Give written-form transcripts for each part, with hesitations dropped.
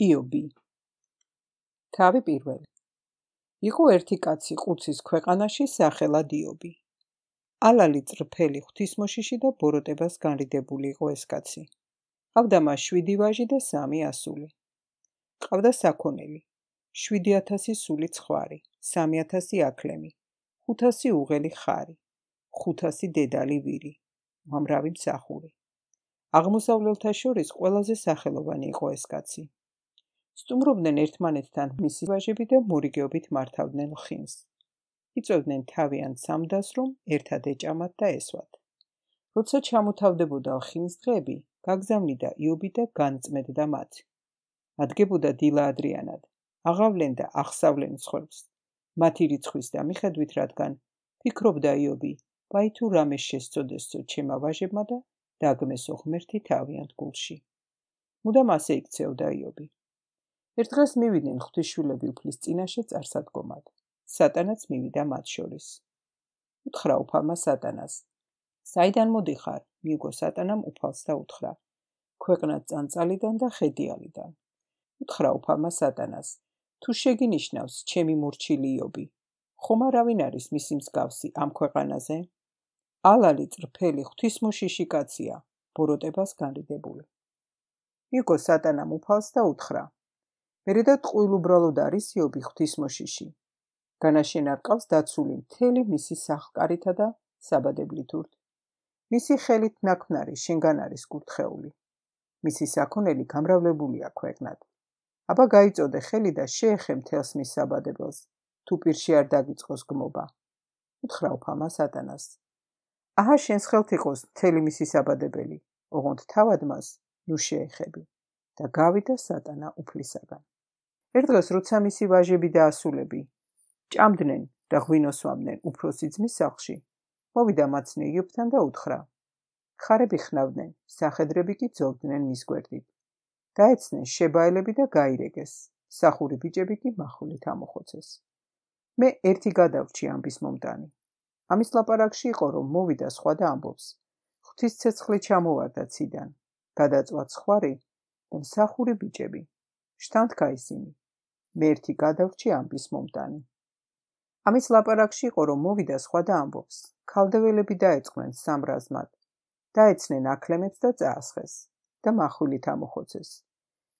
იობი. თავი პირველი. იყო ერთი კაცი ყუცის ქვეყანაში სახელად იობი. ალალი წრფელი ღვთისმოშიში და ბოროტებას განრიდებული იყო ეს კაცი. ყავდა მას 7 ვაჟი და 3 ასული. ყავდა საქონელი, 7,000 სული ცხვარი, 3,000 აქლემი, 500 უღელი ხარი, 500 დედალი ვირი, უამრავი მსახური. აღმოსავლელთა შორის ყველაზე სახელოვანი იყო ეს კაცი. სტუმრობდნენ ერთმანეთთან მისი ვაჟები და მორიგეობით მართავდნენ ლხინს. იწვევდნენ თავიანთ სამდას, რომ ერთად ეჭამათ და ესვათ. როცა ჩამოთავდებოდა ლხინის დღეები, გაგზავნიდა იობი და განწმენდა მათ. ადგებოდა დილა ადრიანად, აღავლენ და ახსავლენ მსხვერპლს. მათი რიცხვის და მიხედვით, რადგან ფიქრობდა იობი, ვაი თუ რამე შესწოდესწო ჩემმა ვაჟებმა და დაგმესო ღმერთი თავიანთ გულში. მუდამ ასე იქცეოდა იობი. ერთ დღეს მივიდნენ ღვთისშვილები უფლის წინაშე წარსადგომად. სატანაც მივიდა მათ შორის. უთხრა უფალმა სატანას. საიდან მოდიხარ? მიუგო სატანამ უფალს და უთხრა. ქვეყნად წანწალიდან და ხედიალიდან. უთხრა უფალმა სატანას. თუ შეგინიშნავს ჩემი მურჩილი იობი, ხომ არავინ არის მისი მსგავსი ამ ქვეყანაზე? ალალი წრფელი ღვთისმოშიში კაცია, ბოროტებას განრიდებული. მიუგო სატანამ უფალს და უთხრა. მერე და ტყუილ უბრალოდ არის იობი ღვთისმოშიში. განაშენ არ ყავს დაცული მთელი მისი სახლკარითა და საბადებლით ურთ. მისი ხელით ნაქმნარი შენგან არის კურთხეული. მისი საქონელი გამრავლებულია ქვეყნად. აბა გაიწოდე ხელი და შეეხე მთელს მის საბადებელს, თუ პირში არ დაგიწყოს გმობა. უთხრა უფალმა სატანას. აჰა შენს ხელთ იყოს მთელი მისი საბადებელი, ოღონდ თავად მას ნუ შეეხები. და გავიდა სატანა უფლისაგან. ერთ დღეს როცა მისი ვაჟები და ასულები ჭამდნენ და ღვინოსვამდნენ უფროსი ძმის სახლში, მოვიდა მაცნე იობთან და უთხრა. ხარები ხნავდნენ, სახედრები კი ძოვდნენ მის გვერდით. დაეცნენ შებაელები და გაირეგეს, სახური ბიჭები კი მახვილით ამოხოცეს. მე ერთი გადავრჩი ამბის მომდანი. ამის ლაპარაკში იყო, რომ მოვიდა სხვა და ამბობს. ღვთის ცეცხლი ჩამოვარდა ციდან, გადაწვა ცხვარი და მსახური ბიჭები. შთანთქა ისინი. მე ერთი გადავრჩი ამბის მომდანი. ამის ლაპარაკში იყო, რომ მოვიდა სხვა და ამბობს. ქალდეველები დაეწყნენ სამრაზმად, დაეცნენ აქლემებს და წაასხეს და მახვილით ამოხოცეს.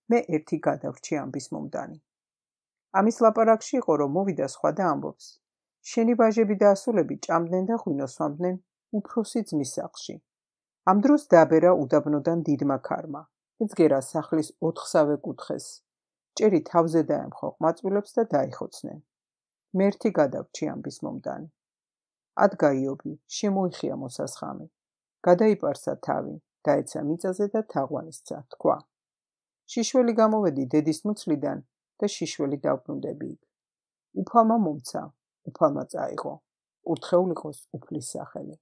მე ერთი გადავრჩი ამბის მომდანი. ამის ლაპარაკში იყო, რომ მოვიდა სხვა და ამბობს. შენი ვაჟები და ასულები ჭამდნენ და ღვინოსვამდნენ უფროსი ძმის სახლში. ამ დროს დაბერა უდაბნოდან დიდმა ქარმა. ეძგერა სახლის 4-სავე კუთხეს. ჭერი თავზე დაემხო ყმაწვილებს და დაიხოცნენ. მე ერთი გადავრჩი ამბის მომდანი. ადგა იობი, შემოიხია მოსასხამი. გადაიპარსა თავი, დაეცა მიწაზე და თაღვანისცა, თქვა. შიშველი გამოვედი დედის მუცლიდან და შიშველი დავბრუნდები იქ. უფალმა მომცა, უფალმა წაიღო. კურთხეულ იყოს უფლის სახელი.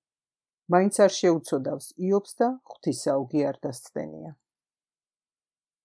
მაინც არ შეუცოდავს იობს და ღვთის საუგი არ დასცდენია.